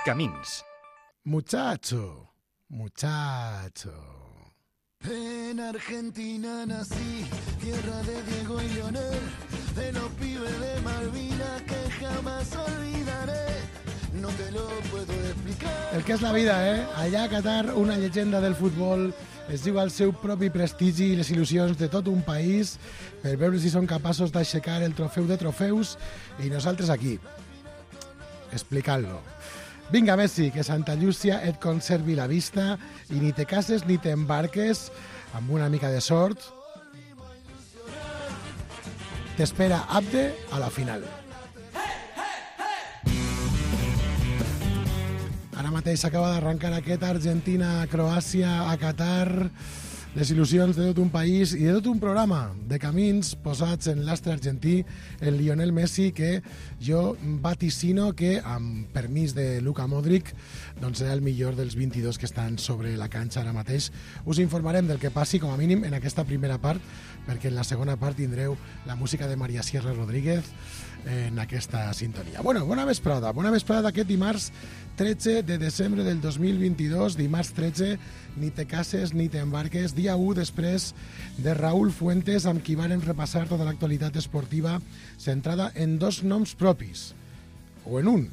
Camins. Muchacho. En Argentina nací, tierra de Diego y Leonel, de los pibes de Malvinas que jamás olvidaré. No te lo puedo explicar. El que és la vida, Allà a Qatar, una llegenda del futbol es diu al seu propi prestigi i les il·lusions de tot un país per veure si són capaços d'aixecar el trofeu de trofeus i nosaltres aquí, explicant-lo. Vinga, Messi, que Santa Llúcia et conservi la vista i ni te cases ni t'embarques, amb una mica de sort t'espera apte a la final. Ara mateix s'acaba d'arrencar aquest Argentina-Croàcia a Qatar, les il·lusions de tot un país i de tot un programa de camins posats en l'astre argentí, el Lionel Messi, que jo vaticino que, amb permís de Luka Modric, doncs serà el millor dels 22 que estan sobre la canxa ara mateix. Us informarem del que passi, com a mínim, en aquesta primera part, perquè en la segona part tindreu la música de María Sierra Rodríguez en aquesta sintonia. Bueno, bona vesprada d'aquest dimarts 13 de desembre del 2022, dimarts 13, ni te cases ni t'embarques, dia 1 després de Raúl Fuentes, amb qui varen repassar tota l'actualitat esportiva centrada en dos noms propis, o en un,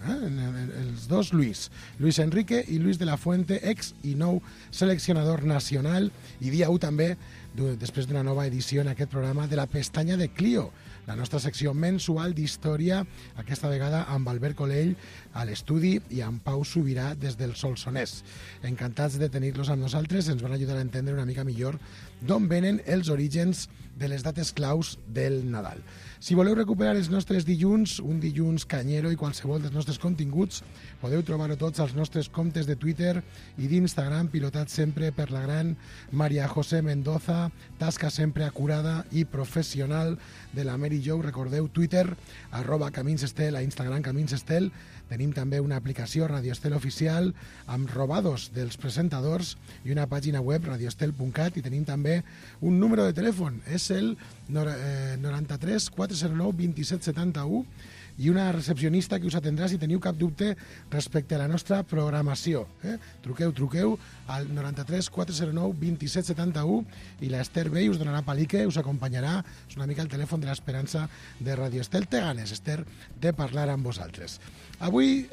els dos Luis Enrique i Luis de la Fuente, ex i nou seleccionador nacional, i dia 1 també, després d'una nova edició en aquest programa de la pestanya de Clio, la nostra secció mensual d'història, aquesta vegada amb Albert Colell a l'estudi i amb Pau Subirà des del Solsonès. Encantats de tenir-los amb nosaltres, ens van ajudar a entendre una mica millor d'on venen els orígens de les dates claus del Nadal. Si voleu recuperar els nostres dilluns, un dilluns canyero i qualsevol dels nostres continguts, podeu trobar-ho tots als nostres comptes de Twitter i d'Instagram, pilotats sempre per la gran María José Mendoza, tasca sempre acurada i professional de la Mary Jo. Recordeu, Twitter, @CaminsEstel, a Instagram CaminsEstel. Tenim també una aplicació Radio Estel Oficial amb robados dels presentadors i una pàgina web radioestel.cat, i tenim també un número de telèfon, és el 93 409 2771, i una recepcionista que us atendrà si teniu cap dubte respecte a la nostra programació. Truqueu al 93 409 2771 i l'Ester Bey us donarà palique, us acompanyarà. És una mica el telèfon de l'esperança de Radio Estel. Té ganes, Ester, de parlar amb vosaltres. Avui,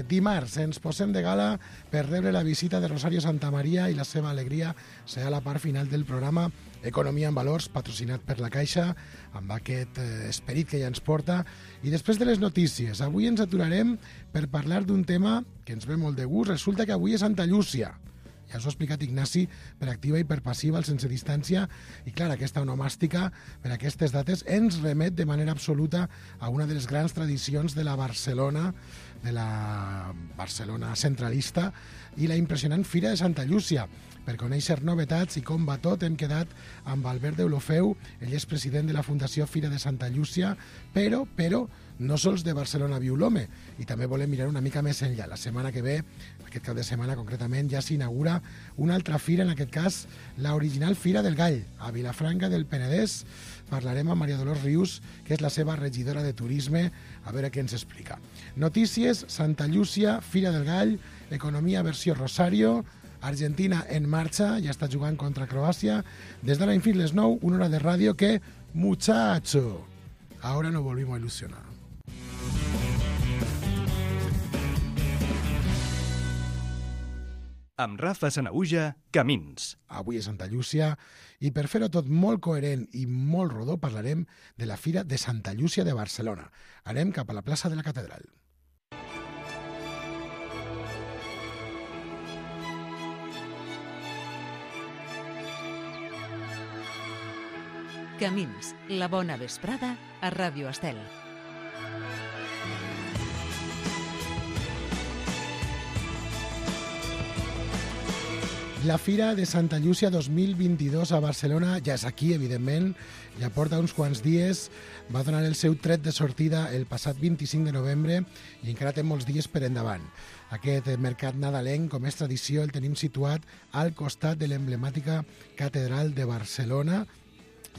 dimarts, ens posem de gala per rebre la visita de Rosario Santamaría, i la seva alegria serà la part final del programa Economia en Valors, patrocinat per la Caixa, amb aquest esperit que ja ens porta. I després de les notícies, avui ens aturarem per parlar d'un tema que ens ve molt de gust. Resulta que avui és Santa Llúcia. Ja us ho ha explicat Ignasi, per activa i per passiva, el sense distància, i clar, aquesta onomàstica per aquestes dates ens remet de manera absoluta a una de les grans tradicions de la Barcelona centralista, i la impressionant Fira de Santa Llúcia. Per conèixer novetats i com va tot, hem quedat amb Albert Deulofeu. Ell és president de la Fundació Fira de Santa Llúcia, però no sols de Barcelona viu l'home, i també volem mirar una mica més enllà. La setmana que ve, aquest cap de setmana concretament, ja s'inaugura una altra fira, en aquest cas la original Fira del Gall, a Vilafranca del Penedès. Parlarem amb Maria Dolors Rius, que és la seva regidora de Turisme, a veure què ens explica. Notícies, Santa Llúcia, Fira del Gall, economia versió Rosario, Argentina en marxa, ja està jugant contra Croàcia. Des d'ara fins les 9, una hora de ràdio que, muchacho, ahora nos volvimos a ilusionar. Amb Rafa Sanaüja, Camins. Avui és Santa Llúcia, i per fer-ho tot molt coherent i molt rodó parlarem de la Fira de Santa Llúcia de Barcelona. Anem cap a la plaça de la Catedral. Camins, la bona vesprada a Ràdio Estel. La Fira de Santa Llúcia 2022 a Barcelona ja és aquí, evidentment, ja porta uns quants dies, va donar el seu tret de sortida el passat 25 de novembre i encara té molts dies per endavant. Aquest mercat nadalenc, com és tradició, el tenim situat al costat de l'emblemàtica Catedral de Barcelona,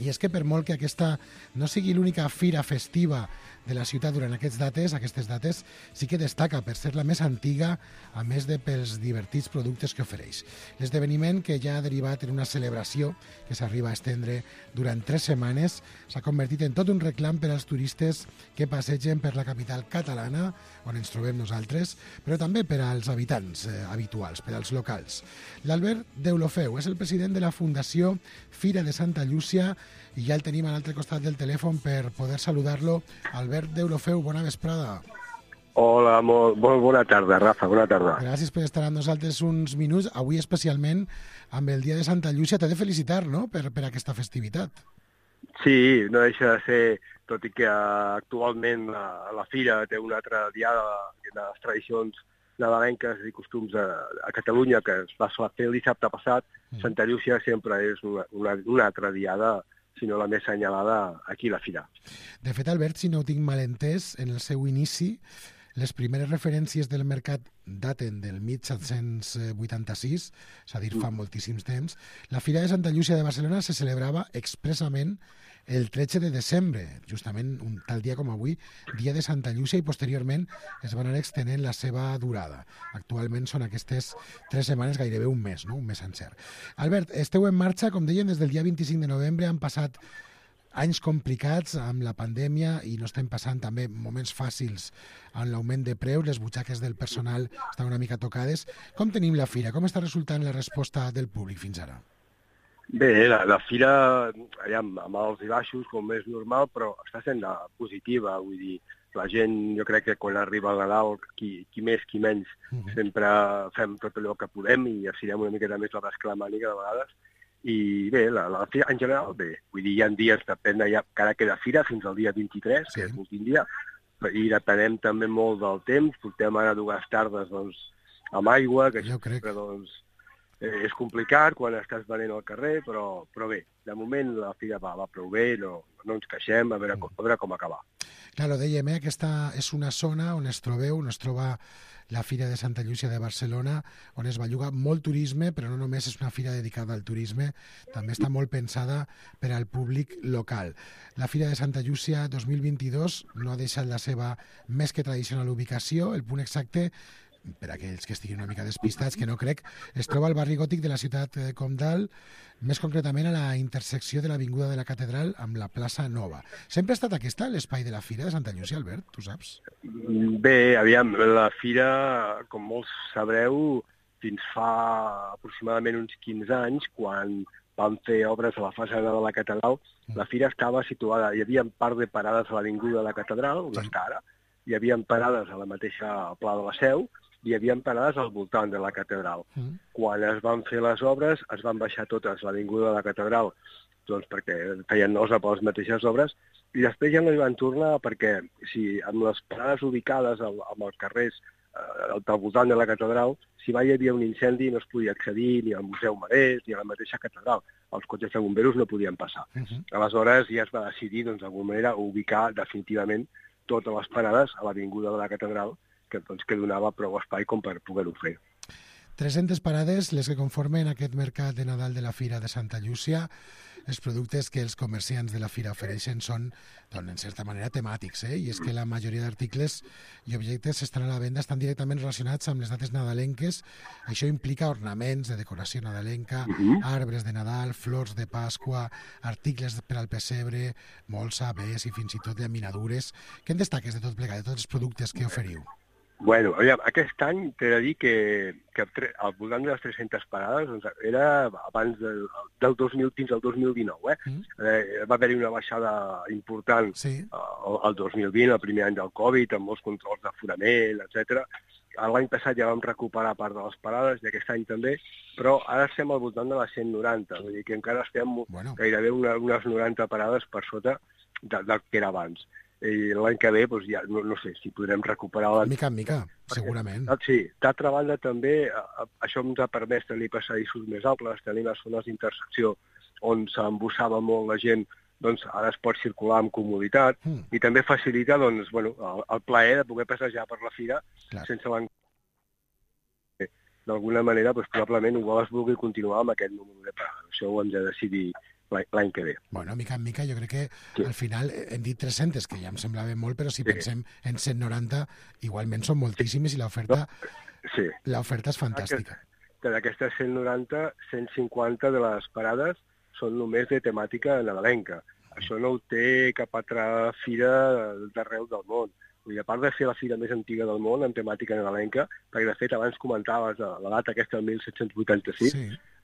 I és que per molt que aquesta no sigui l'única fira festiva de la ciutat durant aquestes dates sí que destaca per ser la més antiga, a més de pels divertits productes que ofereix. L'esdeveniment, que ja ha derivat en una celebració que s'arriba a estendre durant 3 setmanes, s'ha convertit en tot un reclam per als turistes que passegen per la capital catalana, on ens trobem nosaltres, però també per als habitants habituals, per als locals. L'Albert Deulofeu és el president de la Fundació Fira de Santa Llúcia i ja el tenim a l'altre costat del telèfon per poder saludar-lo. Albert Deulofeu, bona vesprada. Hola, molt bona tarda, Rafa, bona tarda. Gràcies per estar amb nosaltres uns minuts, avui especialment amb el dia de Santa Llúcia. T'he de felicitar, no?, per aquesta festivitat. Sí, no deixa de ser, tot i que actualment la fira té una altra diada de les tradicions nadalenques i costums a Catalunya, que es va fer el dissabte passat. Santa Llúcia sempre és una altra diada, sinó la més assenyalada aquí a la fira. De fet, Albert, si no ho tinc mal entès, en el seu inici, les primeres referències del mercat daten del 1786, és a dir, fa moltíssims temps. La Fira de Santa Llúcia de Barcelona se celebrava expressament el 13 de desembre, justament un tal dia com avui, dia de Santa Llúcia, i posteriorment es va anar extenent la seva durada. Actualment són aquestes 3 setmanes, gairebé un mes, no?, un mes sencer. Albert, esteu en marxa, com deien, des del dia 25 de novembre, han passat anys complicats amb la pandèmia i no estem passant també moments fàcils amb l'augment de preus, les butxaques del personal estan una mica tocades. Com tenim la fira? Com està resultant la resposta del públic fins ara? Bé, la fira, amb alts i baixos, com és normal, però està sent positiva, vull dir, la gent, jo crec que quan arriba el Nadal, qui més, qui menys, sempre fem tot allò que podem i estirem una miqueta més la tasca a la màniga de vegades. I bé, la fira en general, bé, vull dir, hi ha dies, depèn de cara queda fira, fins al dia 23, que és l'últim dia, i depenem també molt del temps, portem ara 2 tardes, doncs, amb aigua, que sempre, doncs, és complicat quan estàs venent al carrer, però bé, de moment la fira va prou bé, no ens queixem, a veure com acabar. Clar, ho dèiem, aquesta és una zona on es trobeu, on es troba la Fira de Santa Llúcia de Barcelona, on es belluga molt turisme, però no només és una fira dedicada al turisme, també està molt pensada per al públic local. La Fira de Santa Llúcia 2022 no ha deixat la seva més que tradicional ubicació, el punt exacte, per a aquells que estiguin una mica despistats, que no crec, es troba al barri gòtic de la ciutat comtal, més concretament a la intersecció de l'Avinguda de la Catedral amb la plaça Nova. Sempre ha estat aquesta l'espai de la Fira de Santa Llúcia, Albert? Tu saps? Bé, aviam, la Fira, com molts sabreu, fins fa aproximadament uns 15 anys, quan vam fer obres a la façana de la Catedral, la Fira estava situada, hi havia part de parades a l'Avinguda de la Catedral, on està ara, hi havia parades a la mateixa Pla de la Seu, hi havia parades al voltant de la catedral. Quan es van fer les obres, es van baixar totes l'Avinguda de la Catedral, doncs perquè feien nosa per les mateixes obres, i després ja no hi van tornar perquè si amb les parades ubicades amb els carrers al voltant de la catedral, si mai hi havia un incendi no es podia accedir ni al Museu Marès ni a la mateixa catedral. Els cotxes de bomberos no podien passar. Aleshores ja es va decidir, doncs, d'alguna manera, ubicar definitivament totes les parades a l'Avinguda de la Catedral, que donava prou espai com per poder-ho fer. 300 parades, les que conformen aquest mercat de Nadal de la Fira de Santa Llúcia. Els productes que els comerciants de la fira ofereixen són, doncs, en certa manera, temàtics, i és que la majoria d'articles i objectes estan a la venda, estan directament relacionats amb les dates nadalenques. Això implica ornaments de decoració nadalenca, arbres de Nadal, flors de Pasqua, articles per al pessebre, molsa, bes i fins i tot llaminadures. Què en destaques de tot plegat, de tots els productes que oferiu? Bueno, aviam, aquest any t'he de dir que al voltant de les 300 parades, doncs, era abans del 2000 fins al 2019, va haver-hi una baixada important al 2020, el primer any del Covid, amb molts controls d'aforament, etc. L'any passat ja vam recuperar part de les parades, i aquest any també, però ara estem al voltant de les 190, vull dir que encara estem gairebé unes 90 parades per sota del que era abans. I l'any que ve, doncs ja no sé si podrem recuperar... Mica en mica, segurament. Sí, d'altra banda també, això ens ha permès tenir passadissos més amples, tenir les zones d'intersecció on s'embussava molt la gent, doncs ara es pot circular amb comoditat i també facilita, doncs, el plaer de poder passejar per la fira sense d'alguna manera, doncs, probablement igual es vulgui continuar amb aquest número de parades. Això ho hem de decidir l'any que ve. Bueno, mica en mica, jo crec que al final hem dit 300, que ja em semblava molt, però si pensem en 190, igualment són moltíssimes i l'oferta és fantàstica. D'aquestes 190, 150 de les parades són només de temàtica nadalenca. Això no ho té cap altra fira d'arreu del món. Vull dir, a part de ser la fira més antiga del món en temàtica nadalenca, perquè de fet abans comentaves la data aquesta del 1786,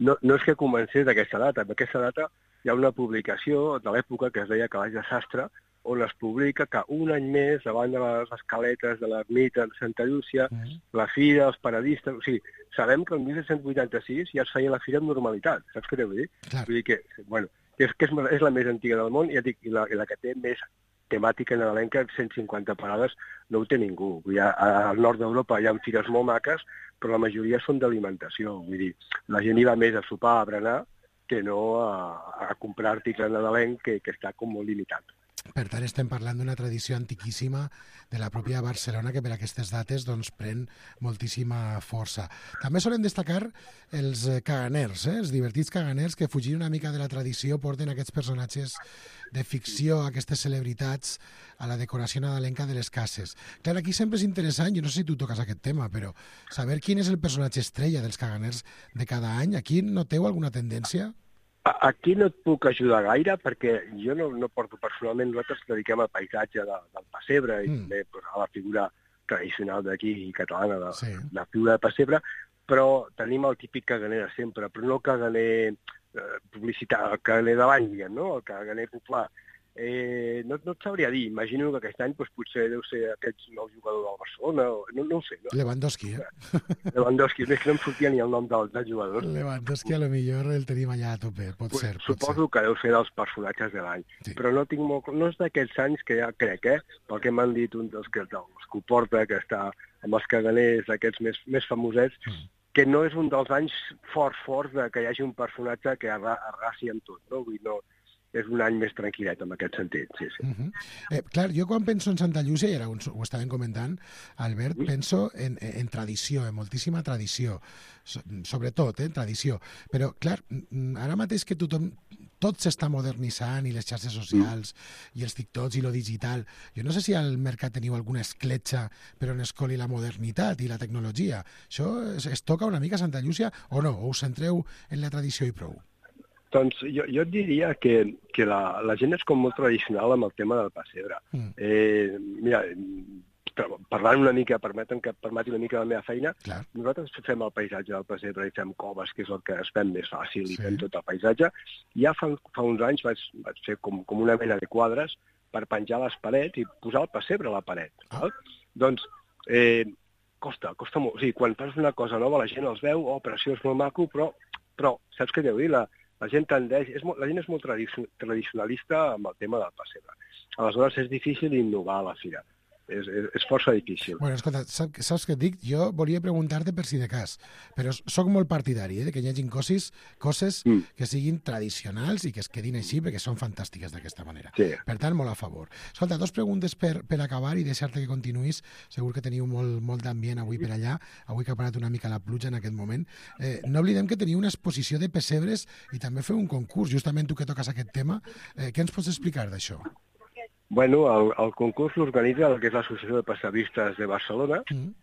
no és que comencés d'aquesta data. En aquesta data hi ha una publicació de l'època que es deia Calaix de Sastre, on es publica que un any més, davant de les escaletes de l'ermita de Santa Llúcia, la fira, els paradistes... O sigui, sabem que el 1786 ja es feia la fira amb normalitat, saps què t'ho vull dir? Clar. Vull dir que, bueno, és la més antiga del món i la que té més temàtica nadalenca, 150 parades, no ho té ningú. Vull dir, al nord d'Europa hi ha fires molt maques, però la majoria són d'alimentació. Vull dir, la gent hi va més a sopar, a berenar, que no a comprar article nadalenc, que està com molt limitat. Per tant, estem parlant d'una tradició antiquíssima de la pròpia Barcelona que per aquestes dates doncs, pren moltíssima força. També solem destacar els caganers, els divertits caganers que, fugint una mica de la tradició, porten aquests personatges de ficció, aquestes celebritats, a la decoració nadalenca de les cases. Clar, aquí sempre és interessant, jo no sé si tu toques aquest tema, però saber quin és el personatge estrella dels caganers de cada any. Aquí noteu alguna tendència? Aquí no et puc ajudar gaire perquè jo no porto personalment, nosaltres dediquem al paisatge del pessebre i també a la figura tradicional d'aquí catalana, la figura de pessebre, però tenim el típic caganer de sempre, però no el caganer publicitari, el caganer de l'any, diguem, no? El caganer popular. No et sabria dir, imagino que aquest any potser deu ser aquest nou jugador del Barcelona, no ho sé. No? Lewandowski, Lewandowski, més que no em sortia ni el nom del jugador. Lewandowski a lo millor el tenim allà a tope, pot ser. Suposo que deu ser dels personatges de l'any, però no és d'aquests anys que ja crec, pel que m'han dit un dels que ho porta, que està amb els caganers aquests més famosets, que no és un dels anys forts que hi hagi un personatge que arrasi amb tot, no? Vull dir, no, és un any més tranquil·let en aquest sentit, sí. Clar, jo quan penso en Santa Llúcia, i ara ho estàvem comentant, Albert, penso en tradició, en moltíssima tradició, sobretot, tradició. Però, clar, ara mateix que tot s'està modernitzant i les xarxes socials i els TikToks i lo digital, jo no sé si al mercat teniu alguna escletxa per on es coli la modernitat i la tecnologia. Això es toca una mica a Santa Llúcia o no? O us centreu en la tradició i prou? Doncs jo et diria que la gent és com molt tradicional amb el tema del pessebre. Mira, parlant una mica, permeti una mica la meva feina, nosaltres fem el paisatge del pessebre i fem coves, que és el que es fem més fàcil, i fem tot el paisatge. Ja fa uns anys vaig fer com una mena de quadres per penjar les parets i posar el pessebre a la paret. Doncs costa molt. O sigui, quan fas una cosa nova la gent els veu, però això és molt maco, però saps què deu dir? La gent és molt tradicionalista amb el tema del pessebre. Aleshores és difícil innovar a la fira. És força difícil. Bueno, escolta, saps què et dic? Jo volia preguntar-te per si de cas, però sóc molt partidari de que hi hagin coses que siguin tradicionals i que es quedin així perquè són fantàstiques d'aquesta manera. Sí. Per tant, molt a favor. Escolta, 2 preguntes per acabar i deixar-te que continuïs. Segur que teniu molt d'ambient avui per allà, avui que ha parat una mica la pluja en aquest moment. No oblidem que teniu una exposició de pessebres i també feu un concurs, justament tu que toques aquest tema. Què ens pots explicar d'això? Bueno, el concurs l'organitza el que és l'Associació de Passebristes de Barcelona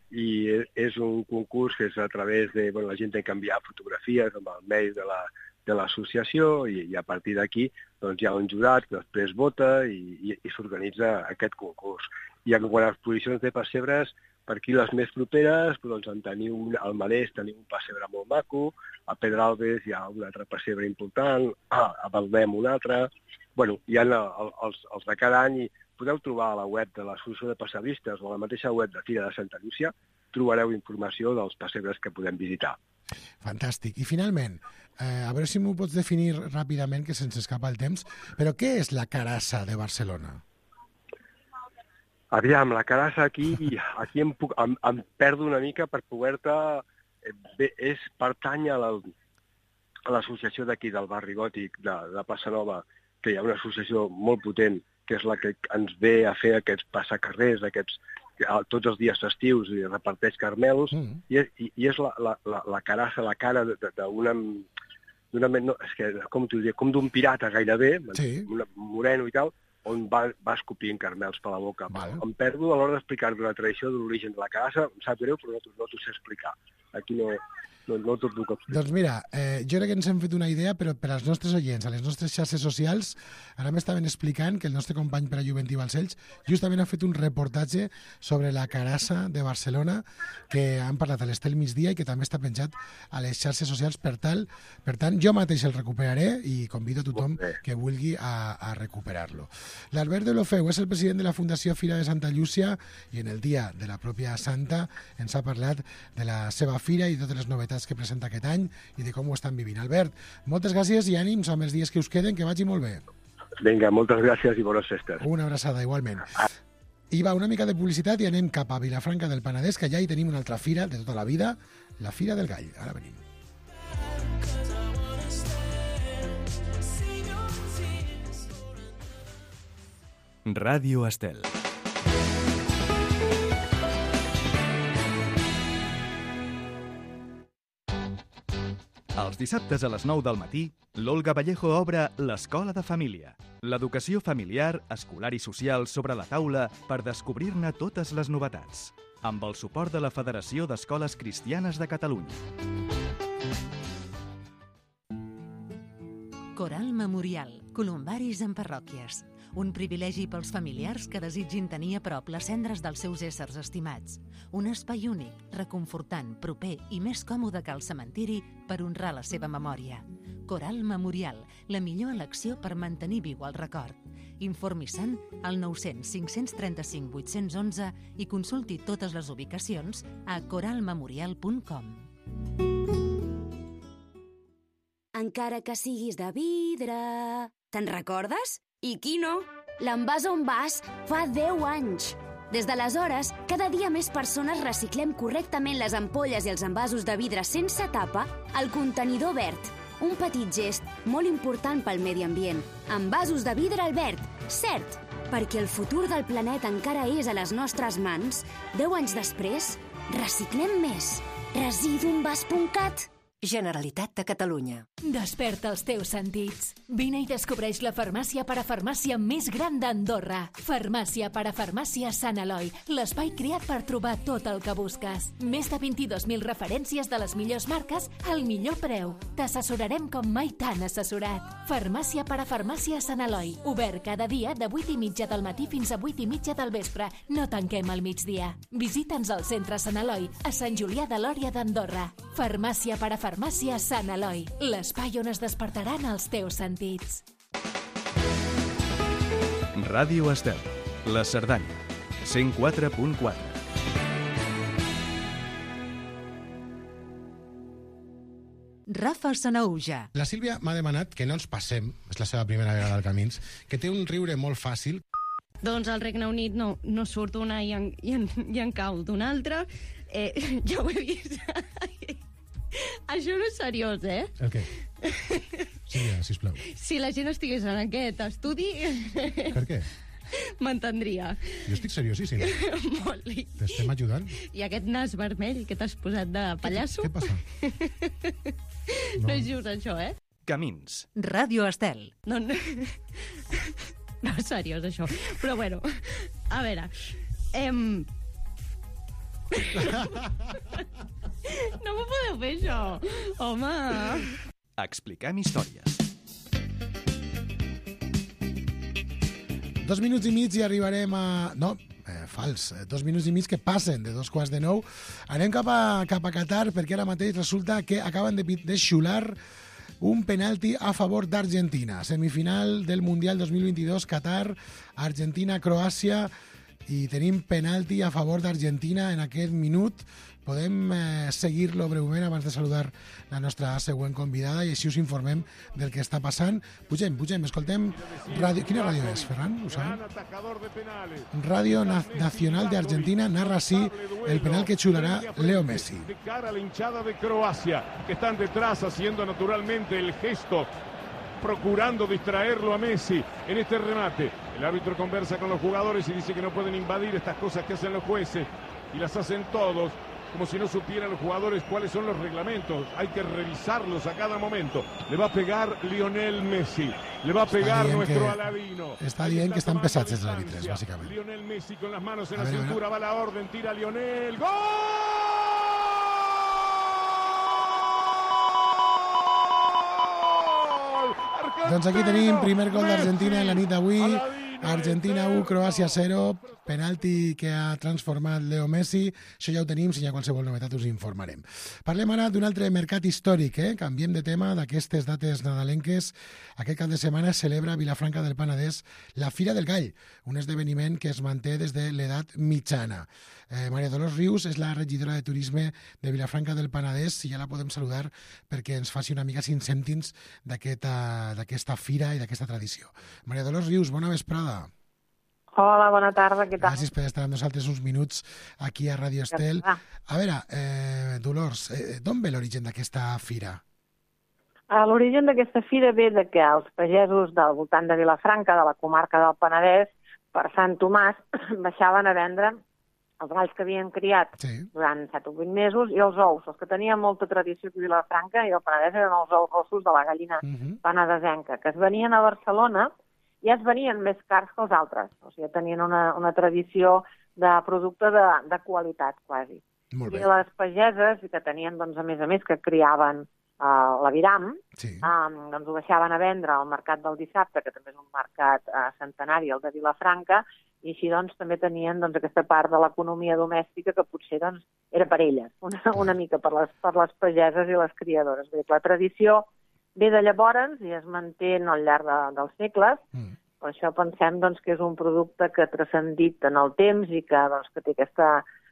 i és un concurs que és a través de... la gent té que enviar fotografies amb el mail de l'associació i a partir d'aquí doncs, hi ha un jurat que després vota i s'organitza aquest concurs. I en quant a exposicions de pessebres, per aquí les més properes, doncs en teniu al Marès tenim un pessebre molt maco, a Pedralbes hi ha un altre pessebre important, a Baldem un altre... Bueno, hi ha els de cada any i podeu trobar a la web de l'Associació de Passebristes o a la mateixa web de Fira de Santa Llúcia, trobareu informació dels pessebres que podem visitar. Fantàstic. I finalment, a veure si m'ho pots definir ràpidament, que se'ns escapa el temps, però què és la carassa de Barcelona? Aviam, la carassa aquí em perdo una mica per poder-te... Pertany a l'associació d'aquí del barri gòtic de Passanova, que hi ha una associació molt potent, que és la que ens ve a fer aquests passacarrers, tots els dies festius i reparteix carmelos, i és la carassa, la cara és que, com t'ho diria, com d'un pirata gairebé, Sí. moreno i tal, on va escopint caramels per la boca. Vale. Em perdo a l'hora d'explicar-te la tradició de l'origen de la casa, em sap greu, però no t'ho sé explicar. Aquí no t'ho puc explicar. Doncs mira, jo crec que ens hem fet una idea, però per als nostres oients, a les nostres xarxes socials, ara m'estaven explicant que el nostre company per a Joventí Balcells justament ha fet un reportatge sobre la carassa de Barcelona que han parlat a l'Estel Migdia i que també està penjat a les xarxes socials. Per tant, jo mateix el recuperaré i convido a tothom que vulgui a recuperar-lo. L'Albert de Lofeu és el president de la Fundació Fira de Santa Llúcia i en el dia de la pròpia Santa ens ha parlat de la seva fira i totes les novetats que presenta aquest any i de com ho estan vivint. Albert, moltes gràcies i ànims amb els dies que us queden, que vagi molt bé. Vinga, moltes gràcies i bones festes. Una abraçada, igualment. I va, una mica de publicitat i anem cap a Vilafranca del Penedès, que allà hi tenim una altra fira de tota la vida, la Fira del Gall. Ara venim. Ràdio Estel. Els dissabtes a les 9 del matí, l'Olga Vallejo obre l'Escola de Família. L'educació familiar, escolar i social sobre la taula per descobrir-ne totes les novetats. Amb el suport de la Federació d'Escoles Cristianes de Catalunya. Coral Memorial, columbaris en parròquies. Un privilegi pels familiars que desitgin tenir a prop les cendres dels seus éssers estimats. Un espai únic, reconfortant, proper i més còmode que el cementiri per honrar la seva memòria. Coral Memorial, la millor elecció per mantenir viu el record. Informi-se'n al 900 535 811 i consulti totes les ubicacions a coralmemorial.com. Encara que siguis de vidre... Te'n recordes? I qui no? L'Envàs on vas fa 10 anys. Des d'aleshores, cada dia més persones reciclem correctament les ampolles i els envasos de vidre sense tapa al contenidor verd. Un petit gest molt important pel medi ambient. Envasos de vidre al verd, cert, perquè el futur del planeta encara és a les nostres mans. 10 anys després, reciclem més. Residuenvas.cat. Generalitat de Catalunya. Desperta els teus sentits. Vine i descobreix la farmàcia parafarmàcia més gran d'Andorra. Farmàcia parafarmàcia Sant Eloi, l'espai creat per trobar tot el que busques. Més de 22.000 referències de les millors marques al millor preu. T'assessorarem com mai t'han assessorat. Farmàcia parafarmàcia Sant Eloi, obert cada dia de 8:30 del matí fins a 8:30 del vespre. No tanquem al migdia. Visita'ns al centre Sant Eloi, a Sant Julià de Lòria d'Andorra. Farmàcia parafarmàcia Sant Eloi, l'espai on es despertaran els teus sentits. Ràdio Estel, la Cerdanya, 104.4. Rafa Sanaüja. La Sílvia m'ha demanat que no ens passem, és la seva primera vegada al Camins, que té un riure molt fàcil. Doncs al Regne Unit no surt una i en cau d'una altra. Ja ho he vist. Això no és seriós, eh? El què? Sílvia, sisplau. Si la gent estigués en aquest estudi... Per què? M'entendria. Jo estic seriosíssim. Molt. T'estem ajudant? I aquest nas vermell que t'has posat de pallasso... Què passa? No és just això, eh? Camins. Ràdio Estel. No és seriós, això. Però bueno, a veure... No m'ho podeu fer, això. Home... Expliquem històries. 2 minuts i mig i arribarem a... No, fals. 2 minuts i mig que passen de 2:45. Anem cap a Qatar perquè ara mateix resulta que acaben de xular un penalti a favor d'Argentina. Semifinal del Mundial 2022, Qatar, Argentina-Croàcia, i tenim penalti a favor d'Argentina en aquest minut. Podem seguir-lo breument abans de saludar la nostra següent convidada i així us informem del que està passant. Pugem, escoltem ràdio. Quina ràdio és, Ferran? Ho sabem? Ràdio Nacional de Argentina narra así el penal que chulará Leo Messi. De cara a la hinchada de Croacia, que están detrás haciendo naturalmente el gesto, procurando distraerlo a Messi en este remate. El árbitro conversa con los jugadores y dice que no pueden invadir estas cosas que hacen los jueces y las hacen todos. como si no supieran los jugadores cuáles son los reglamentos. Hay que revisarlos a cada momento. Le va a pegar Lionel Messi. Le va a pegar nuestro Aladino. Está bien que están pesados els àrbitres, bàsicament. Lionel Messi con las manos en la cintura, va la orden, tira Lionel. ¡Gol! Doncs aquí tenim primer gol d'Argentina en la nit d'avui. Argentina 1, Croàcia 0, penalti que ha transformat Leo Messi. Això ja ho tenim, si hi ha qualsevol novetat us informarem. Parlem ara d'un altre mercat històric, Canviem de tema d'aquestes dates nadalenques. Aquest cap de setmana es celebra a Vilafranca del Penedès la Fira del Gall, un esdeveniment que es manté des de l'edat mitjana. Maria Dolors Rius és la regidora de Turisme de Vilafranca del Penedès, i ja la podem saludar perquè ens faci una mica 5 cèntims d'aquesta fira i d'aquesta tradició. Maria Dolors Rius, bona vesprada. Hola, bona tarda, què tal? Gràcies per estar amb nosaltres uns minuts aquí a Radio Estel. A veure, Dolors, d'on ve l'origen d'aquesta fira? L'origen d'aquesta fira ve de que els pagesos del voltant de Vilafranca, de la comarca del Penedès, per Sant Tomàs, baixaven a vendre els galls que havien criat durant 7 o 8 mesos i els ous. Els que tenien molta tradició a Vilafranca i al Penedès eren els ous rossos de la gallina penedesenca, que es venien a Barcelona i es venien més cars que els altres. O sigui, tenien una tradició de producte de qualitat, quasi. I les pageses, que tenien, doncs, a més, que criaven l'aviram, doncs ho baixaven a vendre al mercat del dissabte, que també és un mercat centenari, el de Vilafranca, i així doncs també tenien aquesta part de l'economia domèstica que potser era per elles, una mica per les pageses i les criadores. La tradició ve de llavors i es manté al llarg dels segles, per això pensem que és un producte que ha transcendit en el temps i que té aquesta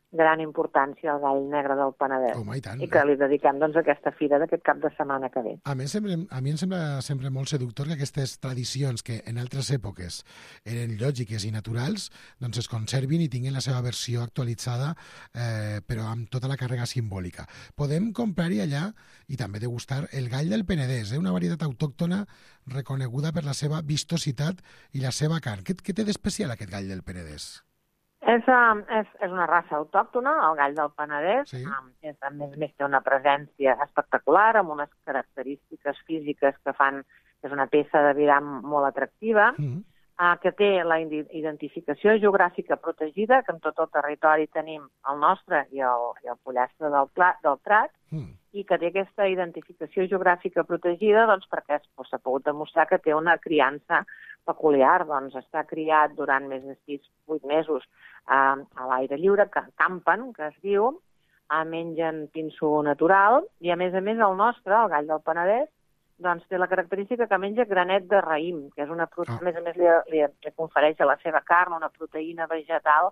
gran importància al gall negre del Penedès. I que li dediquem aquesta fira d'aquest cap de setmana que ve. A mi em sembla sempre molt seductor que aquestes tradicions que en altres èpoques eren lògiques i naturals es conservin i tinguin la seva versió actualitzada, però amb tota la càrrega simbòlica. Podem comprar-hi allà i també degustar el gall del Penedès, una varietat autòctona reconeguda per la seva vistositat i la seva carn. Què té d'especial aquest gall del Penedès? És una raça autòctona, el gall del Penedès. A més, té una presència espectacular, amb unes característiques físiques que fan que és una peça d'aviram molt atractiva, que té la identificació geogràfica protegida, que en tot el territori tenim el nostre i el pollastre del Prat, i que té aquesta identificació geogràfica protegida perquè s'ha pogut demostrar que té una criança peculiar. Està criat durant més de 6-8 mesos a l'aire lliure, campen, que es diu, mengen pinso natural, i a més el nostre, el gall del Penedès, té la característica que menja granet de raïm, que és una proteïna, a més li confereix a la seva carn una proteïna vegetal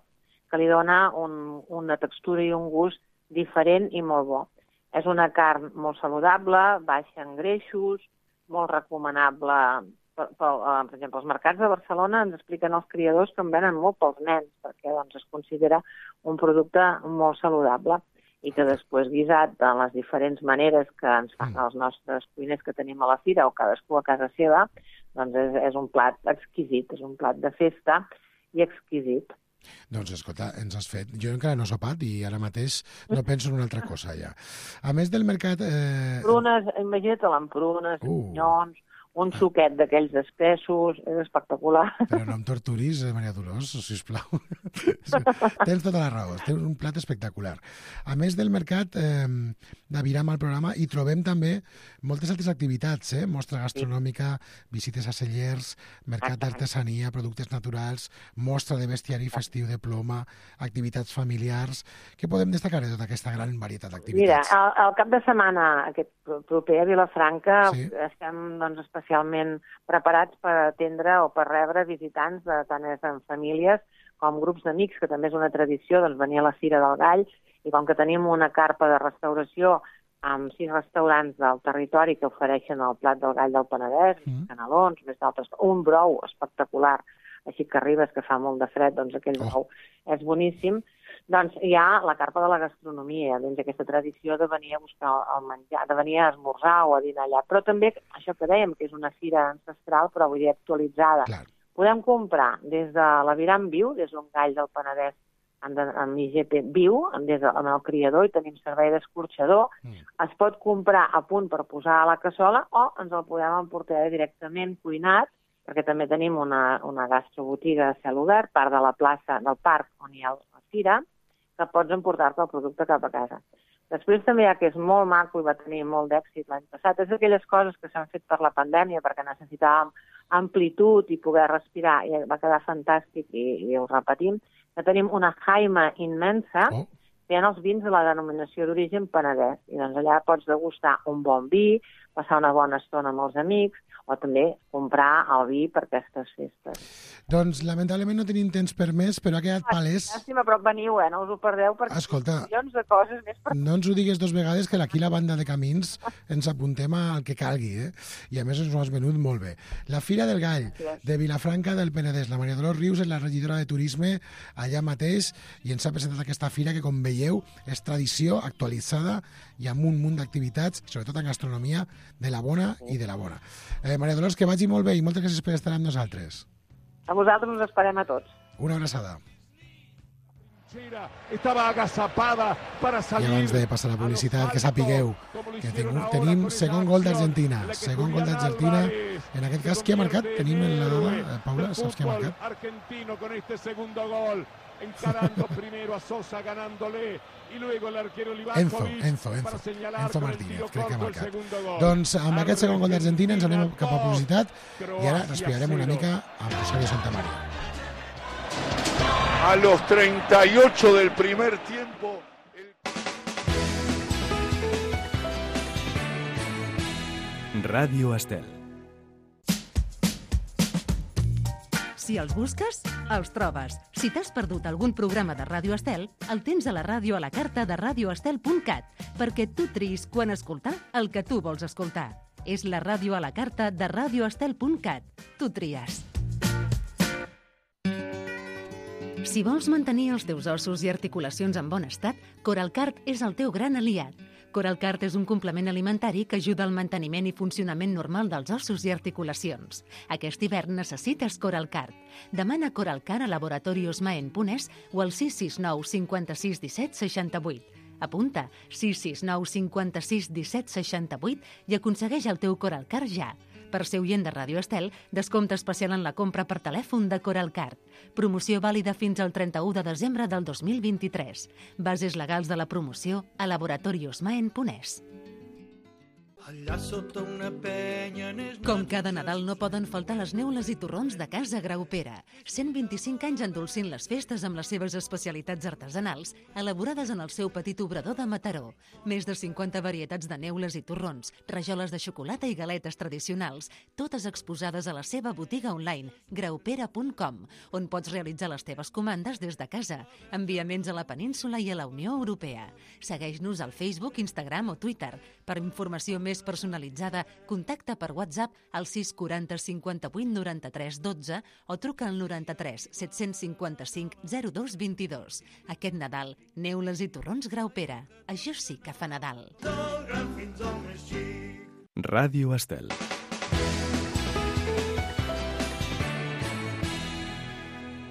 que li dona una textura i un gust diferent i molt bo. És una carn molt saludable, baixa en greixos, molt recomanable. Per exemple, els mercats de Barcelona ens expliquen els criadors que en venen molt pels nens, perquè es considera un producte molt saludable i que després guisat de les diferents maneres que ens fan els nostres cuiners que tenim a la fira o cadascú a casa seva, és un plat exquisit, és un plat de festa i exquisit. Doncs, escolta, ens has fet... Jo encara no he sopat i ara mateix no penso en una altra cosa, ja. A més del mercat... Prunes, imagina't-la amb prunes, pinyons, un suquet d'aquells espessos, és espectacular. Però no em torturis, Maria Dolors, sisplau. Tens tota la raó, tens un plat espectacular. A més del mercat d'Aviram al programa, hi trobem també moltes altres activitats, mostra gastronòmica, visites a cellers, mercat d'artesania, productes naturals, mostra de bestiari festiu de ploma, activitats familiars. Què podem destacar de tota aquesta gran varietat d'activitats? Mira, el cap de setmana aquest proper a Vilafranca estem especialment preparats per atendre o per rebre visitants tant en famílies com grups d'amics, que també és una tradició venir a la Fira del Gall, i com que tenim una carpa de restauració amb 6 restaurants del territori que ofereixen el plat del gall del Penedès, canelons, més d'altres, un brou espectacular, així que arribes, que fa molt de fred, aquell brou és boníssim. Hi ha la carpa de la gastronomia, aquesta tradició de venir a buscar el menjar, de venir a esmorzar o a dinar allà. Però també, això que dèiem, que és una fira ancestral, però avui actualitzada. Podem comprar des de l'aviram viu, des d'un gall del Penedès amb IGP viu, des del criador, i tenim servei d'escorxador. Es pot comprar a punt per posar a la cassola o ens el podem emportar directament cuinat, perquè també tenim una gastrobotiga a cel obert, part de la plaça del parc on hi ha la fira, que pots emportar-te el producte cap a casa. Després també hi ha que és molt maco i va tenir molt d'èxit l'any passat, és aquelles coses que s'han fet per la pandèmia perquè necessitàvem amplitud i poder respirar, i va quedar fantàstic i ho repetim, que tenim una jaima immensa, que hi ha els vins de la denominació d'origen Penedès, i doncs allà pots degustar un bon vi, passar una bona estona amb els amics, o també comprar el vi per aquestes festes. Doncs, lamentablement, no tenim temps per més, però ha quedat palès... Llàstima, però veniu, no us ho perdeu, perquè escolta, milions de coses més per... No ens ho digues dos vegades, que aquí la banda de Camins ens apuntem al que calgui, I a més ens ho has venut molt bé. La Fira del Gall, de Vilafranca del Penedès. La Maria Dolors Rius és la regidora de Turisme allà mateix i ens ha presentat aquesta fira que, com veieu, és tradició actualitzada i amb un munt d'activitats, sobretot en gastronomia, de la bona i de la bona. Maria Dolors, que vagi molt bé i moltes gràcies per estar amb nosaltres. A vosaltres us esperem a tots. Una abraçada. Estava agazapada para salir. I abans de passar la publicitat, que sapigueu que tenim segon gol d'Argentina. Segon gol d'Argentina. En aquest cas, qui ha marcat? Tenim la dada. Paula, saps qui ha marcat? Argentino con este segundo gol. Encarando primero a Sosa, ganándole, y luego el arquero Livakovic. Enzo Martínez, crec que ha marcat. Doncs amb aquest segon gol d'Argentina ens anem cap a publicitat i ara respirarem una mica amb Rosario Santamaría. A los 38 del primer tiempo. Ràdio Estel. Si els busques, els trobes. Si t'has perdut algun programa de Ràdio Estel, el tens a la ràdio a la carta de radioestel.cat, perquè tu triïs quan escoltar el que tu vols escoltar. És la ràdio a la carta de radioestel.cat. Tu tries. Si vols mantenir els teus ossos i articulacions en bon estat, Coralcart és el teu gran aliat. Coralcart és un complement alimentari que ajuda al manteniment i funcionament normal dels ossos i articulacions. Aquest hivern necessites Coralcart. Demana Coralcart a Laboratorios Maen Punès o al 669 56 17 68. Apunta 669 56 17 68 i aconsegueix el teu Coralcart ja. Per ser oient de Ràdio Estel, descompte especial en la compra per telèfon de Coralcart. Promoció vàlida fins al 31 de desembre del 2023. Bases legals de la promoció a Laboratorios Maen Punès. Com cada Nadal no poden faltar les neules i torrons de Casa Graupera. 125 anys endolcint les festes amb les seves especialitats artesanals, elaborades en el seu petit obrador de Mataró. Més de 50 varietats de neules i torrons, rajoles de xocolata i galetes tradicionals, totes exposades a la seva botiga online, graupera.com, on pots realitzar les teves comandes des de casa, enviaments a la península i a la Unió Europea. Segueix-nos al Facebook, Instagram o Twitter. Per informació més personalitzada, contacta per WhatsApp al 640 58 93 12 o truca al 93 755 02 22. Aquest Nadal, neules i torrons Graupera. Això sí que fa Nadal. Ràdio Estel.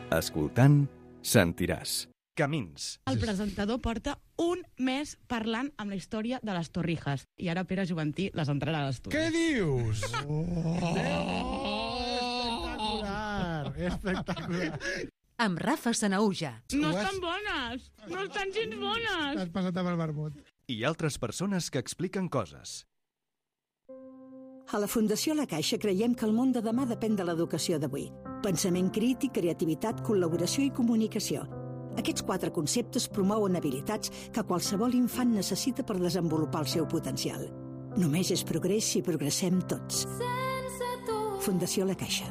Escoltant, sentiràs. Camins. El presentador porta un mes parlant amb la història de les Torrijas. I ara Pere Juventí les entrarà a l'estudi. Què dius? Espectacular. Amb Rafa Sanauja. No estan bones! No estan gens bones! T'has passat amb el vermut. I altres persones que expliquen coses. A la Fundació La Caixa creiem que el món de demà depèn de l'educació d'avui. Pensament crític, creativitat, col·laboració i comunicació. Aquests 4 conceptes promouen habilitats que qualsevol infant necessita per desenvolupar el seu potencial. Només és progrés si progressem tots. Fundació La Caixa.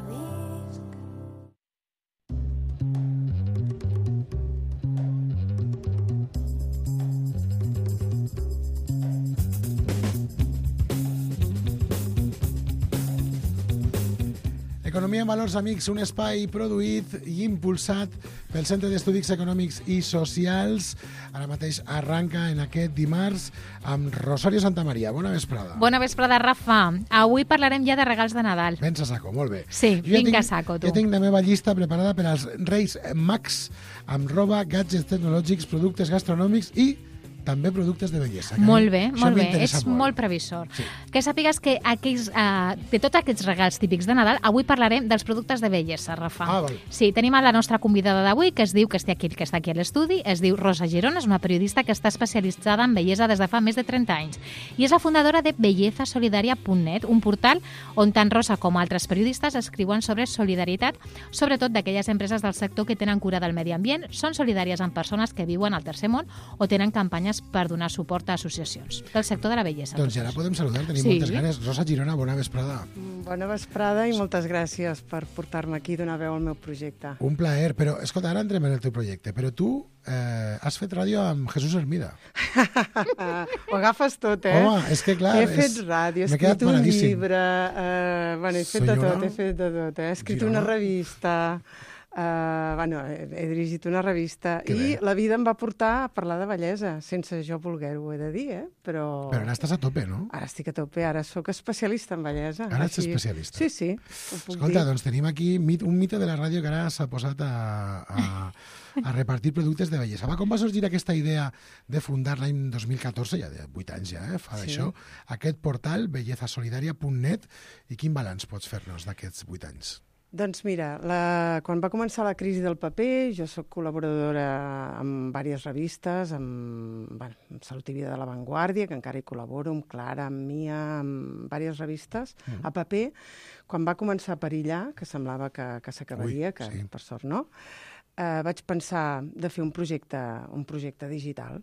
Economia en Valors, amics, un espai produït i impulsat pel Centre d'Estudis Econòmics i Socials. Ara mateix arranca en aquest dimarts amb Rosario Santamaria. Bona vesprada. Bona vesprada, Rafa. Avui parlarem ja de regals de Nadal. Vens a saco, molt bé. Sí, vinc a saco, tu. Jo tinc la meva llista preparada per als Reis Mags amb roba, gadgets tecnològics, productes gastronòmics i també productes de bellesa. Molt bé, molt bé. Ets molt previsor. Sí. Que sàpigues que de tots aquests regals típics de Nadal, avui parlarem dels productes de bellesa, Rafa. Ah, val. Sí, tenim a la nostra convidada d'avui, que està aquí a l'estudi, es diu Rosa Girona, és una periodista que està especialitzada en bellesa des de fa més de 30 anys. I és la fundadora de bellezasolidaria.net, un portal on tant Rosa com altres periodistes escriuen sobre solidaritat, sobretot d'aquelles empreses del sector que tenen cura del medi ambient, són solidàries amb persones que viuen al tercer món o tenen campanyes per donar suport a associacions del sector de la bellesa. Doncs ja la podem saludar, tenim moltes ganes. Rosa Girona, bona vesprada. Bona vesprada i moltes gràcies per portar-me aquí i donar veu al meu projecte. Un plaer, però escolta, ara entrem en el teu projecte, però tu has fet ràdio amb Jesús Hermida. Ho agafes tot, eh? Home, és que clar... He fet ràdio, he escrit un llibre, he fet de tot, he escrit una revista... he dirigit una revista i la vida em va portar a parlar de bellesa, sense jo voler-ho, he de dir, però... Però ara estàs a tope, no? Ara estic a tope, ara sóc especialista en bellesa. Ara ets especialista? Sí, ho puc dir. Escolta, doncs tenim aquí un mite de la ràdio que ara s'ha posat a repartir productes de bellesa. Com va sorgir aquesta idea de fundar l'any 2014, ja de 8 anys fa d'això, aquest portal, bellezasolidaria.net, i quin balanç pots fer-nos d'aquests 8 anys? Doncs mira, quan va començar la crisi del paper, jo sóc col·laboradora amb diverses revistes, amb Salut i Vida de La Vanguardia, que encara hi col·laboro, amb Clara, amb Mia, amb diverses revistes, a paper. Quan va començar a perillar, que semblava que s'acabaria, que per sort no, vaig pensar de fer un projecte digital.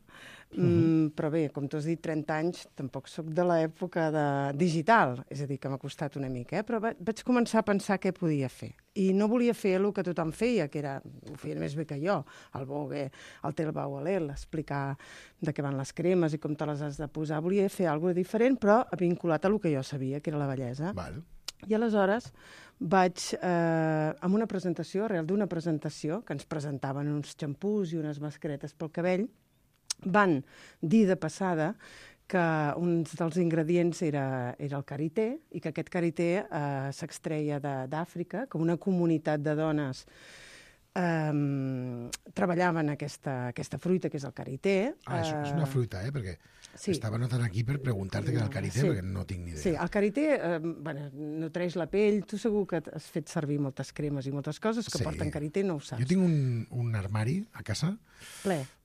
Però bé, com tu has dit, 30 anys, tampoc sóc de l'època digital, és a dir, que m'ha costat una mica, però vaig començar a pensar què podia fer. I no volia fer el que tothom feia, que ho feia més bé que jo, el Vogue, el Tel Baualel, explicar de què van les cremes i com te les has de posar. Volia fer alguna cosa diferent, però vinculat a el que jo sabia, que era la bellesa. I aleshores vaig, amb una presentació, arrel d'una presentació, que ens presentaven uns xampús i unes mascaretes pel cabell, van dir de passada que un dels ingredients era el karité i que aquest karité s'extreia d'Àfrica, que una comunitat de dones treballaven aquesta fruita, que és el karité. Això és una fruita, perquè estava notant aquí per preguntar-te què era el karité, perquè no tinc ni idea. Sí, el karité nutreix la pell. Tu segur que has fet servir moltes cremes i moltes coses que porten karité, no ho saps. Jo tinc un armari a casa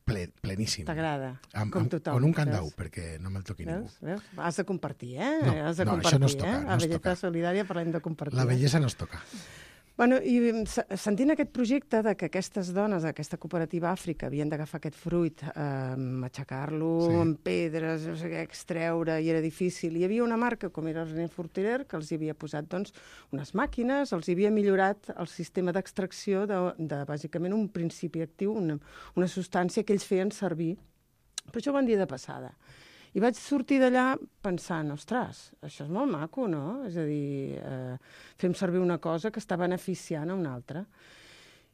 pleníssim. T'agrada, com tothom. Con un candau, perquè no me'l toqui ningú. Has de compartir, No, això no es toca. A Bellesa Solidària parlem de compartir. La bellesa no es toca. Bueno, i sentint aquest projecte de que aquestes dones d'aquesta cooperativa Àfrica havien d'agafar aquest fruit, matxacar-lo amb pedres, no sé què, extreure, i era difícil. Hi havia una marca, com era René Fortier, que els hi havia posat unes màquines, els hi havia millorat el sistema d'extracció de bàsicament un principi actiu, una substància que ells feien servir. Però això ho van dir de passada. I vaig sortir d'allà pensant, ostres, això és molt maco, no? És a dir, fem servir una cosa que està beneficiant a una altra.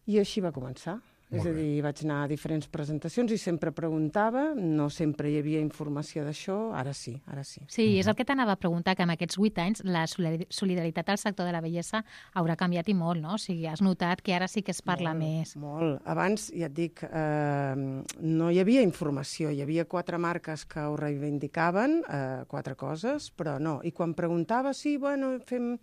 I així va començar. És a dir, vaig anar a diferents presentacions i sempre preguntava, no sempre hi havia informació d'això, ara sí. Sí, és el que t'anava a preguntar, que en aquests 8 anys la solidaritat al sector de la bellesa haurà canviat i molt, no? O sigui, has notat que ara sí que es parla més. Molt. Abans, ja et dic, no hi havia informació, hi havia 4 marques que ho reivindicaven, 4 coses, però no. I quan preguntava, sí, bueno, fem...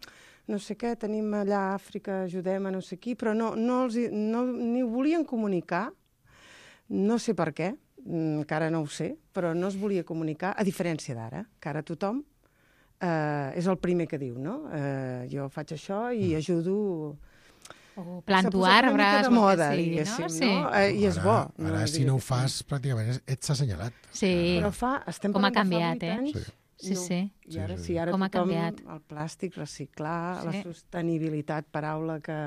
no sé què, tenim allà a Àfrica, ajudem a no sé qui, però ni ho volien comunicar, no sé per què, encara no ho sé, però no es volia comunicar, a diferència d'ara, que ara tothom és el primer que diu, no? Jo faig això i ajudo... Planto arbres... de moda, diguéssim, no? I és bo. Ara, si no ho fas, pràcticament ets assenyalat. Sí, com ha canviat, Sí. I ara sí, ara tothom, el plàstic, reciclar, la sostenibilitat, paraula que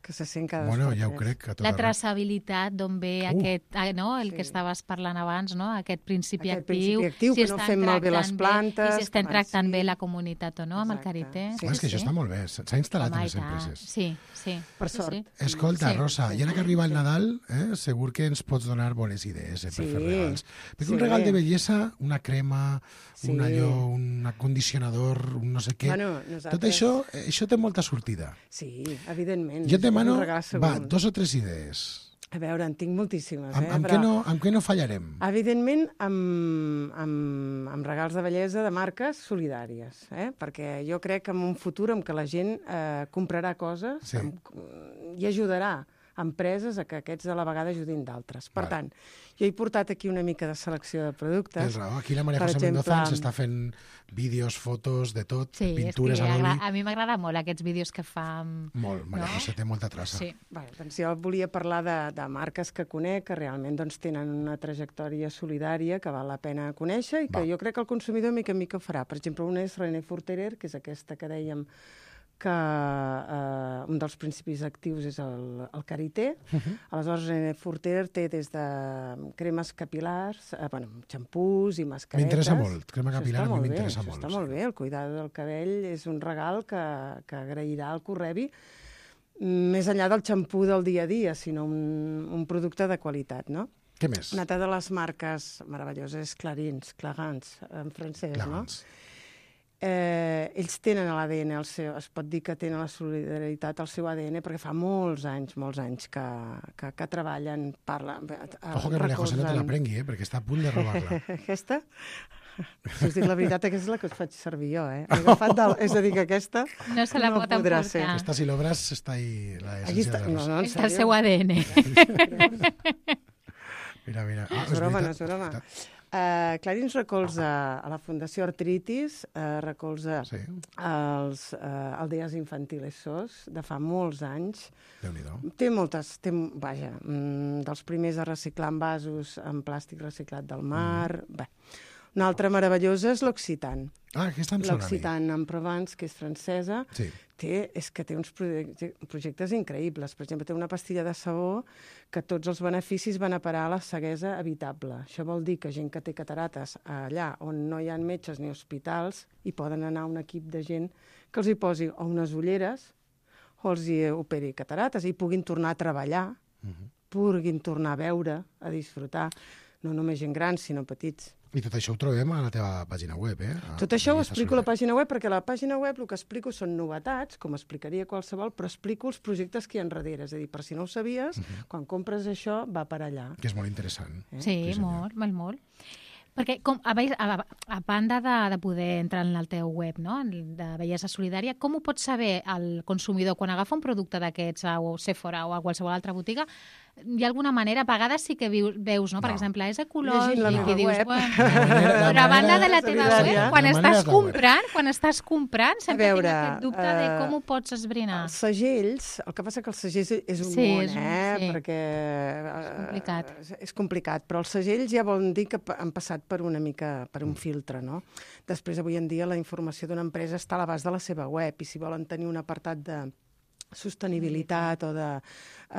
que se sent cadascú. Bueno, ja ho crec. Que la traçabilitat, d'on ve aquest, no? El que estaves parlant abans, no? Aquest principi actiu, que no fem malbé les plantes... I si estem tractant bé la comunitat o no, amb el Carité. És que això està molt bé, s'ha instal·lat en les empreses. Sí. Per sort. Escolta, Rosa, i ara que arriba el Nadal, segur que ens pots donar bones idees per fer regals. Perquè un regal de bellesa, una crema, un allò, un acondicionador, un no sé què... Tot això té molta sortida. Sí, evidentment. Jo et demano, 2 o 3 idees. A veure, en tinc moltíssimes. Amb què no fallarem? Evidentment, amb regals de bellesa de marques solidàries, perquè jo crec que en un futur en què la gent comprarà coses i ajudarà empreses a que aquests de la vegada ajudin d'altres. Per tant, jo he portat aquí una mica de selecció de productes. Tens raó, aquí la Maria José Mendoza ens està fent vídeos, fotos, de tot, pintures a l'oli. A mi m'agrada molt aquests vídeos que fa... Molt, Maria José té molta traça. Doncs jo volia parlar de marques que conec, que realment tenen una trajectòria solidària que val la pena conèixer i que jo crec que el consumidor mica en mica ho farà. Per exemple, una és René Forterer, que és aquesta que dèiem que un dels principis actius és el Carité. Aleshores, René Forterer té des de cremes capil·lars, xampús i mascaretes. M'interessa molt, crema capil·lar a mi m'interessa molt. Està molt bé, el cuidar del cabell és un regal que agrairà el que ho rebi, més enllà del xampú del dia a dia, sinó un producte de qualitat, no? Què més? Una altra de les marques meravelloses és Clarins, en francès, no? Ells tenen l'ADN, es pot dir que tenen la solidaritat al seu ADN, perquè fa molts anys que treballen, parlen... Ojo que Maria José no te la prengui, perquè està a punt de robar-la. Aquesta? Si us dic la veritat, aquesta és la que us faig servir jo, És a dir, que aquesta no se la pot podrà ser. Aquesta, si l'obres, està ahí la essència de la Rosa. Està el seu ADN. Mira. No és broma. Clarins recolza a la Fundació Artritis, recolza els aldees infantiles SOS de fa molts anys. Déu-n'hi-do. Té moltes, dels primers a reciclar envasos en plàstic reciclat del mar. Una altra meravellosa és l'Occitane. Aquesta em sona a mi. L'Occitane en Provence, que és francesa, té uns projectes increïbles. Per exemple, té una pastilla de sabó que tots els beneficis van a parar a la ceguesa evitable. Això vol dir que gent que té catarates allà on no hi ha metges ni hospitals hi poden anar un equip de gent que els hi posi o unes ulleres o els hi operi catarates i puguin tornar a treballar, puguin tornar a veure, a disfrutar, no només gent gran, sinó petits. I tot això ho trobem a la teva pàgina web, Tot això ho explico a la pàgina web, perquè a la pàgina web el que explico són novetats, com explicaria qualsevol, però explico els projectes que hi ha darrere. És a dir, per si no ho sabies, quan compres això, va per allà. Que és molt interessant. Sí, molt. Perquè, a banda de poder entrar en el teu web, no?, de bellesa solidària, com ho pot saber el consumidor quan agafa un producte d'aquests a Sephora o a qualsevol altra botiga? Hi ha alguna manera? A vegades sí que veus, no? Per exemple, és ecològic i dius... Però a banda de la teva web, quan estàs comprant, sempre tinc aquest dubte de com ho pots esbrinar. Els segells, el que passa que els segells és un món, perquè... És complicat, però els segells ja volen dir que han passat per un filtre, no? Després, avui en dia, la informació d'una empresa està a l'abast de la seva web, i si volen tenir un apartat de sostenibilitat o de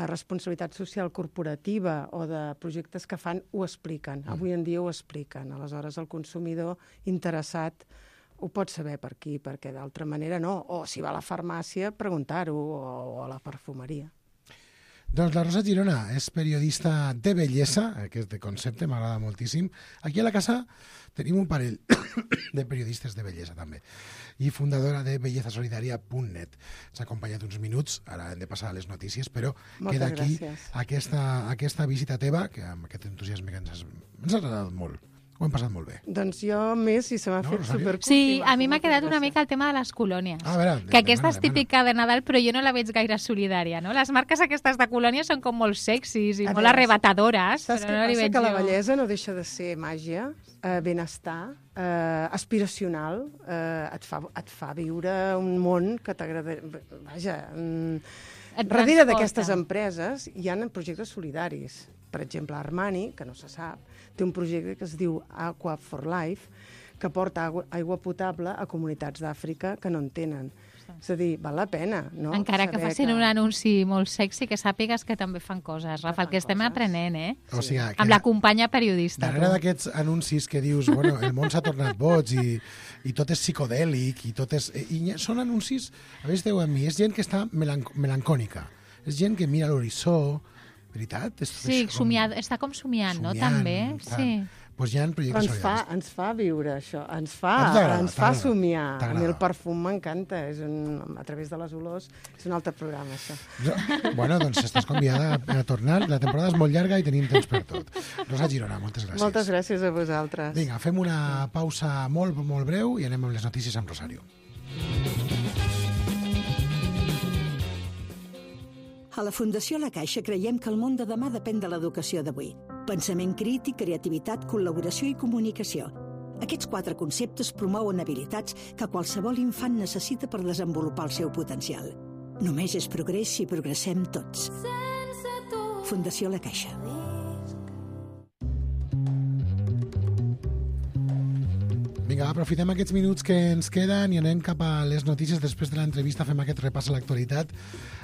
responsabilitat social corporativa o de projectes que fan, ho expliquen. Avui en dia ho expliquen. Aleshores, el consumidor interessat ho pot saber per aquí, perquè d'altra manera no. O si va a la farmàcia, preguntar-ho, o a la perfumeria. Doncs la Rosa Girona és periodista de bellesa, aquest concepte m'agrada moltíssim. Aquí a la casa tenim un parell de periodistes de bellesa també, i fundadora de bellezasolidària.net. Ens ha acompanyat uns minuts, ara hem de passar a les notícies, però queda aquí aquesta visita teva, que amb aquest entusiasme que ens ha agradat molt. Ho hem passat molt bé. Doncs jo més, i se m'ha fet supercurta. Sí, a mi m'ha quedat una mica el tema de les colònies. Que aquesta és típica de Nadal, però jo no la veig gaire solidària, no? Les marques aquestes de colònies són com molt sexis i molt arrebatadores. Saps què passa? Que la bellesa no deixa de ser màgia, benestar, aspiracional, et fa viure un món que t'agrada... Vaja... Darrere d'aquestes empreses hi ha projectes solidaris. Per exemple, Armani, que no se sap, té un projecte que es diu Aqua for Life, que porta aigua potable a comunitats d'Àfrica que no en tenen. És a dir, val la pena, no? Encara que facin un anunci molt sexy, que sàpigues que també fan coses, Rafa, el que estem aprenent, O sigui, amb la companya periodista. Darrere d'aquests anuncis que dius, bueno, el món s'ha tornat boig i tot és psicodèlic i tot és... I són anuncis, a veure si esteu amb mi, és gent que està melancònica, és gent que mira l'horitzó, veritat? Sí, està com somiant, no? També, sí. Pues hi ha projectes solidaris. Ens fa viure això, ens fa somiar. A mi el perfum m'encanta, a través de les olors, és un altre programa, això. Bueno, doncs estàs convidada a tornar, la temporada és molt llarga i tenim temps per tot. Rosa Girona, moltes gràcies. Moltes gràcies a vosaltres. Vinga, fem una pausa molt breu i anem amb les notícies amb Rosario. A la Fundació La Caixa creiem que el món de demà depèn de l'educació d'avui. Pensament crític, creativitat, col·laboració i comunicació. Aquests 4 conceptes promouen habilitats que qualsevol infant necessita per desenvolupar el seu potencial. Només és progrés si progressem tots. Fundació La Caixa. Vinga, aprofitem aquests minuts que ens queden i anem cap a les notícies. Després de l'entrevista fem aquest repàs a l'actualitat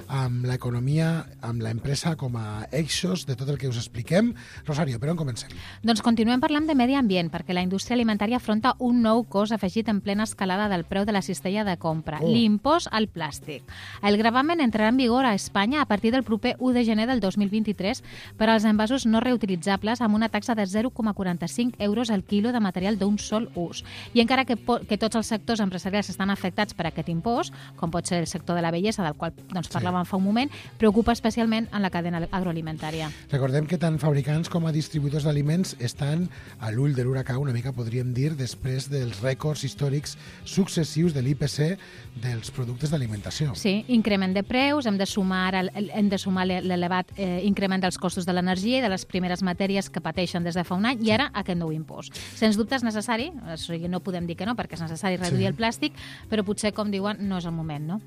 amb l'economia, amb l'empresa com a eixos de tot el que us expliquem. Rosario, per on comencem? Doncs continuem parlant de medi ambient, perquè la indústria alimentària afronta un nou cost afegit en plena escalada del preu de la cistella de compra, l'impost al plàstic. El gravamen entrarà en vigor a Espanya a partir del proper 1 de gener del 2023 per als envasos no reutilitzables amb una taxa de 0,45 euros al quilo de material d'un sol ús. I encara que tots els sectors empresarials estan afectats per aquest impost, com pot ser el sector de la bellesa, del qual parlàvem fa un moment, preocupa especialment en la cadena agroalimentària. Recordem que tant fabricants com a distribuïdors d'aliments estan a l'ull de l'huracà, una mica podríem dir, després dels rècords històrics successius de l'IPC dels productes d'alimentació. Sí, increment de preus, hem de sumar l'elevat increment dels costos de l'energia i de les primeres matèries que pateixen des de fa un any, i ara aquest nou impost. Sens dubte és necessari, o sigui, no podem dir que no, perquè és necessari reduir el plàstic, però potser, com diuen, no és el moment, no?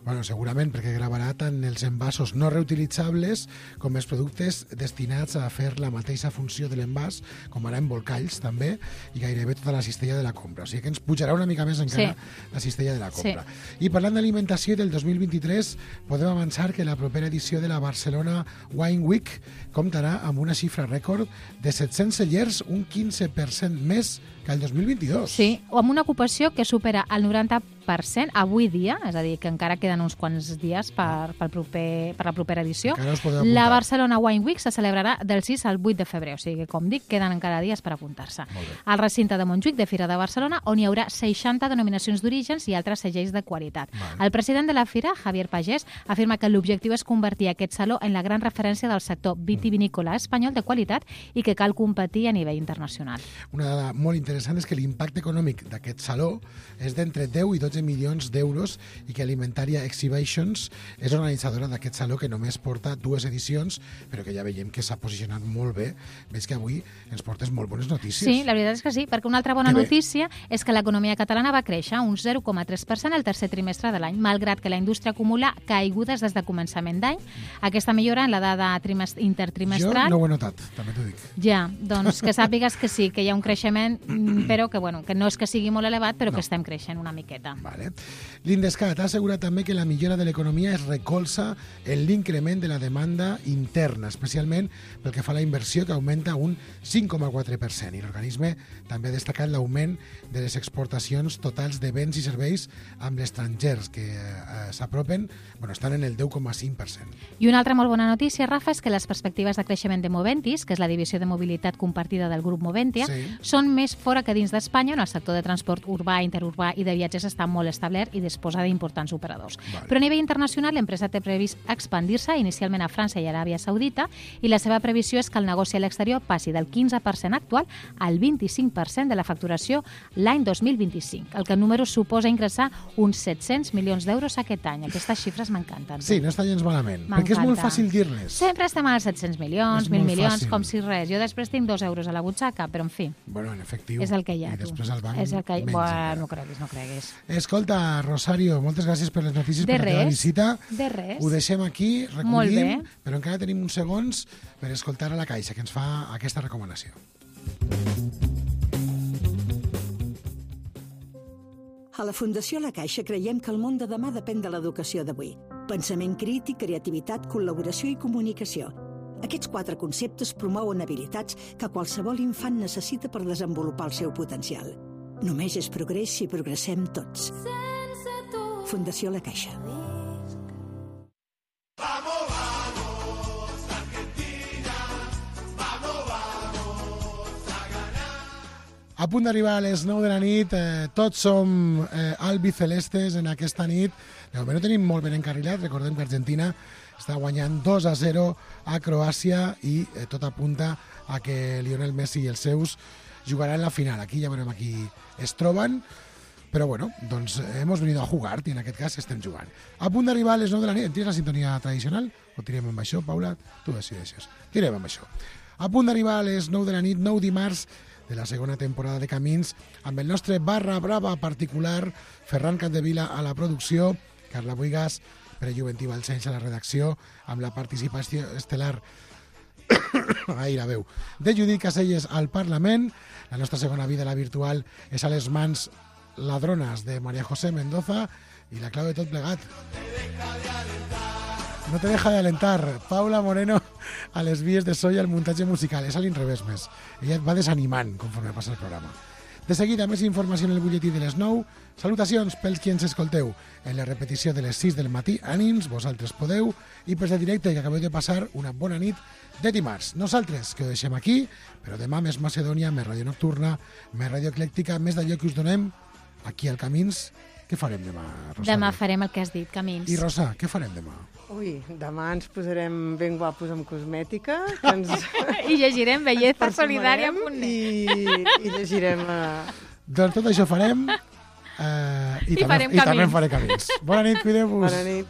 Bueno, segurament, perquè gravarà tant els envasos no reutilitzables com els productes destinats a fer la mateixa funció de l'envàs, com ara embolcalls també, i gairebé tota la cistella de la compra. O sigui que ens pujarà una mica més encara la cistella de la compra. I parlant d'alimentació del 2023, podem avançar que la propera edició de la Barcelona Wine Week comptarà amb una xifra rècord de 700 cellers, un 15% més que el 2022. Sí, o amb una ocupació que supera el 90% avui dia, és a dir, que encara queden uns quants dies per la propera edició. La Barcelona Wine Week se celebrarà del 6 al 8 de febrer, o sigui que, com dic, queden encara dies per apuntar-se. Al recinte de Montjuïc de Fira de Barcelona, on hi haurà 60 denominacions d'orígens i altres segells de qualitat. El president de la Fira, Javier Pagès, afirma que l'objectiu és convertir aquest saló en la gran referència del sector vitivinícola espanyol de qualitat i que cal competir a nivell internacional. Una dada molt interessant és que l'impacte econòmic d'aquest saló és d'entre 10 i 12 milions d'euros i que Alimentaria Exhibitions és organitzadora d'aquest saló que només porta 2 edicions, però que ja veiem que s'ha posicionat molt bé. Veig que avui ens portes molt bones notícies. Sí, la veritat és que sí, perquè una altra bona notícia és que l'economia catalana va créixer un 0,3% el tercer trimestre de l'any, malgrat que la indústria acumula caigudes des de començament d'any. Aquesta millora en la dada intertrimestral... Jo no ho he notat, també t'ho dic. Ja, doncs que sàpigues que sí, que hi ha un creixement, però que no és que sigui molt elevat, però que estem creixent una miqueta. Vale. L'Indescat ha assegurat també que la millora de l'economia es recolza en l'increment de la demanda interna, especialment pel que fa a la inversió, que augmenta un 5,4%. I l'organisme també ha destacat l'augment de les exportacions totals de béns i serveis amb l'estrangers, que s'apropen, estan en el 10,5%. I una altra molt bona notícia, Rafa, és que les perspectives de creixement de Moventis, que és la divisió de mobilitat compartida del grup Moventia, són més fora que dins d'Espanya, on el sector de transport urbà, interurbà i de viatgers està molt establert i disposa d'importants operadors. Però a nivell internacional, l'empresa té previst expandir-se inicialment a França i Aràbia Saudita, i la seva previsió és que el negoci a l'exterior passi del 15% actual al 25% de la facturació l'any 2025, el que en números suposa ingressar uns 700 milions d'euros aquest any. Aquestes xifres m'encanten. Sí, no està gens malament, perquè és molt fàcil dir-les. Sempre estem als 700 milions, 1.000 milions, com si res. Jo després tinc 2 euros a la butxaca, però en fi. Bueno, en efectiu. És el que hi ha, tu. I després al banc menys. No creguis. Escolta, Rosario, moltes gràcies per les notícies, per la teva visita. De res. Ho deixem aquí, recollim, però encara tenim uns segons per escoltar a la Caixa, que ens fa aquesta recomanació. A la Fundació La Caixa creiem que el món de demà depèn de l'educació d'avui. Pensament crític, creativitat, col·laboració i comunicació. Aquests 4 conceptes promouen habilitats que qualsevol infant necessita per desenvolupar el seu potencial. Només és progrés si progressem tots. Fundació La Caixa. A punt d'arribar a les 9 de la nit, tots som albicelestes en aquesta nit. De moment ho tenim molt ben encarrilat. Recordem que Argentina està guanyant 2-0 a Croàcia i tot apunta a que Lionel Messi i els seus jugaran la final. Aquí ja veurem a qui es troben. Però bueno, doncs hemos venido a jugar i en aquest cas estem jugant. A punt d'arribar a les 9 de la nit. Tens la sintonia tradicional o tirem amb això, Paula? Tu decideixes. Tirem amb això. A punt d'arribar a les 9 de la nit, 9 dimarts, de la segona temporada de Camins, amb el nostre barra brava particular, Ferran Capdevila a la producció, Carla Buigas, Pere Juventí Balcells a la redacció, amb la participació estel·lar ai, la veu, de Judit Caselles al Parlament. La nostra segona vida, la virtual, és a les mans ladrones de María José Mendoza i la clau de tot plegat. No te deja de alentar. Paula Moreno a les vies de so i al muntatge musical. És a l'inrevés més. Ella et va desanimant conforme passa el programa. De seguida, més informació en el butlletí de les 9. Salutacions pels qui ens escolteu. En la repetició de les 6 del matí, ànims, vosaltres podeu. I per de directe que acabeu de passar una bona nit de dimarts. Nosaltres, que ho deixem aquí, però demà més Macedònia, més ràdio nocturna, més ràdio eclèctica, més d'allò que us donem aquí al Camins. Què farem demà, Rosa? Demà farem el que has dit, Camins. I Rosa, què farem demà? Ui, demà ens posarem ben guapos amb cosmètica. I llegirem bellezasolidària.net. I llegirem... Doncs tot això farem i també faré Camins. Bona nit, cuideu-vos. Bona nit.